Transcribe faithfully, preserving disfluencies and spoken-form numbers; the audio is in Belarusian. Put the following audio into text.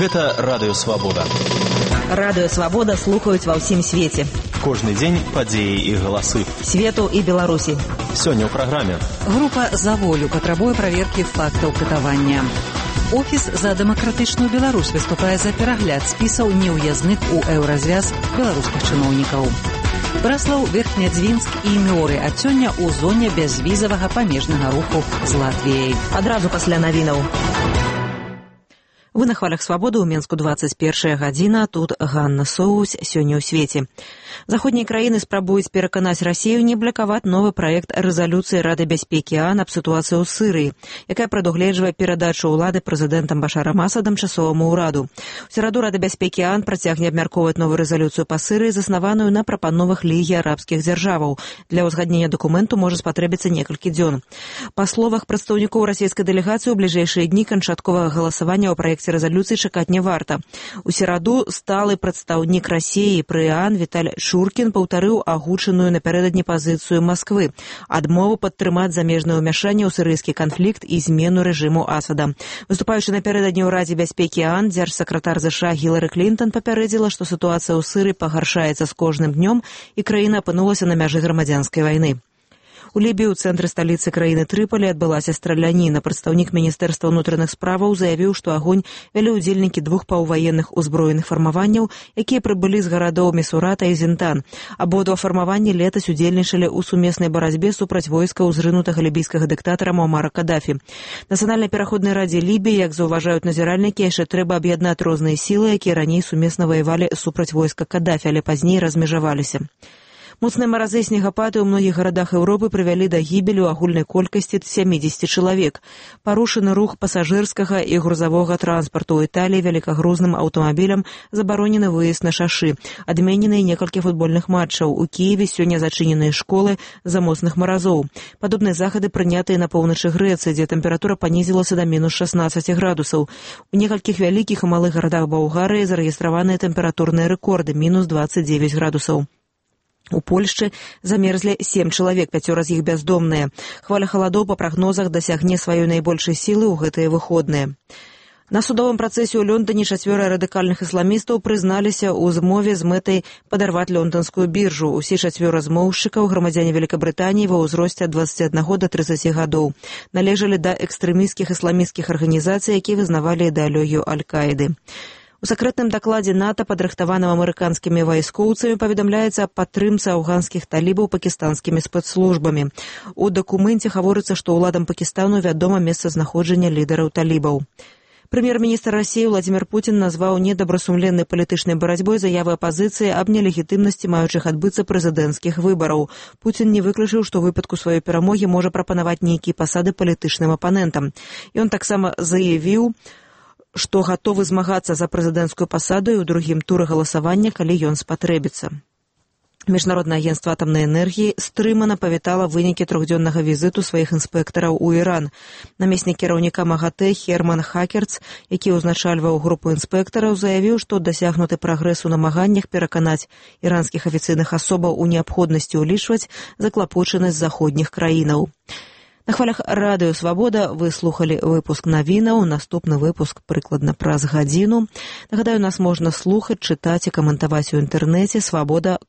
Гэта Радыё Свабода. Радыё Свабода слухаюць ва ўсім свеце. Кожны дзень падзеі і галасы. Свету і Беларусі. Сёння ў праграме. Група «За волю» патрабуе праверкі фактаў катавання. Офіс за дэмакратычную Беларусь выступае за перагляд спісаў неўязных у еўразвяз беларускіх чыноўнікаў. Браслаў, Верхнядзвінск і Мёры ад сёння ў зоне бязвізавага памежнага руху з Латвіяй. Адразу пасля навінаў. Вы на хвалях Свабоды, у Менску двадцать первая гадзіна, тут Ганна Соус, сёння ў свеце. Заходнія краіны спрабуюць пераканаць Расію не блакаваць новы праект рэзалюцыі Рады бяспекі ООН аб сітуацыі ў Сырыі, якая прадугледжвае перадачу ўлады прэзідэнтам Башарам Асадам часоваму ўраду. У сераду Рада бяспекі ООН працягне абмяркоўваць новую рэзалюцыю па Сырыі, заснаваную на прапановах Лігі арабскіх дзяржаваў. Для ўзгаднення дакументу можа спатрэбіцца некалькі дзён. Па словах прадстаўнікоў расійскай дэлегацыі, у бліжэйшыя дні канчатковага галасавання ў праекце рэзалюцыі чакаць не варта. У сераду сталы прадстаўнік Расіі пры ООН Віталь Шуркін паўтарыў агучаную напярэдадні пазіцыю Масквы, адмову падтрымаць замежнае ўмяшанне ў сірыйскі канфлікт і змену рэжыму Асада. Выступаючы напярэдадні ў Радзе бяспекі ООН, дзяржсакратар ЗША Гілары Клінтон папярэдзіла, што сітуацыя ў Сырыі пагаршаецца з кожным днём і краіна апынулася на мяжы грамадзянскай вайны. У Лібіі ў цэнтры сталіцы краіны Трыполі адбылася страляніна. Прадстаўнік Міністэрства ўнутраных справаў заявіў, што агонь вялі ўдзельнікі двух паўваенных узброеных фармаванняў, якія прыбылі з гарадоў Місурата і Зінтан. Абодва фармаванні летась удзельнічалі ў сумеснай барацьбе супраць войскаў зрынутага лібійскага дыктатара Муамара Кадафі. Нацыянальнай пераходнай радзе Лібіі, як заўважаюць назіральнікі, яшчэ трэба аб'яднаць розныя сілы, якія раней сумесна ваявалі супраць войска Кадафі, але пазней размежаваліся. Моцныя маразы і снегапады ў многіх гарадах Еўропы прывялі да гібелі ў агульнай колькасці сямидзесяти чалавек. Парушаны рух пасажырскага і грузавога транспарту. У Італіі вялікагрузным аўтамабілям забаронены выезд на шашы. Адменены некалькі футбольных матчаў. У Кіеве сёння зачыненыя школы з-за моцных маразоў. Падобныя захады прынятыя на поўначы Грэцыі, дзе тэмпература панізілася да мінус шестнадцать градусаў. У некалькіх вялікіх і малых гарадах Балгарыі зарэгістраваныя тэмпературныя рэкорды – мінус двадцать девять градусаў. У Польшчы замерзлі сем чалавек, пяцёра з іх бяздомныя. Хваля халадоў па прагнозах дасягне сваёй найбольшай сілы ў гэтыя выходныя. На судовым працэсе ў Лондоне чацвёра радыкальных ісламістаў прызналіся ў змове з мэтай падарваць лонданскую біржу. Усе чацвёра змоўшчыкаў, грамадзяне Вялікабрытаніі ва ўзросце ад двадцаці аднаго да трыццаці гадоў. Належалі да экстрэмісцкіх ісламісцкіх арганізацый, якія вызнавалі ідэалогію Аль-Каіды. У сакрэтным дакладзе НАТО, падрыхтаваным амерыканскімі вайскоўцамі, паведамляецца аб падтрымцы афганскіх талібаў пакістанскімі спецслужбамі. У дакуменце гаворыцца, што ўладам Пакістану вядома месцазнаходжанне лідараў талібаў. Прэм'ер-міністр Расіі Владзімір Пуцін назваў недабрасумленнай палітычнай барацьбой заявы апазіцыі аб нелегітымнасці маючых адбыцца прэзідэнцкіх выбараў. Пуцін не выключыў, што ў выпадку сваёй перамогі можа прапанаваць нейкія пасады палітычным апанентам. Ён таксама заявіў, што гатовы змагацца за прэзідэнцкую пасаду і ў другім туры галасавання, калі ён спатрэбіцца. Міжнароднае агенцтва атамнай энергіі стрымана павітала вынікі трохдзённага візіту сваіх інспектараў у Іран. Намеснік кіраўніка МАГАТЭ Херман Хакерц, які ўзначальваў групу інспектараў, заявіў, што дасягнуты прагрэс у намаганнях пераканаць іранскіх афіцыйных асобаў у неабходнасці ўлічваць заклапочанасць заходніх краінаў. На хвалях Радыё Свабода вы слухалі выпуск навінаў. Наступны выпуск прыкладна праз гадзіну. Нагадаю, нас можна слухаць, чытаць і каментаваць у інтэрнэце свабода.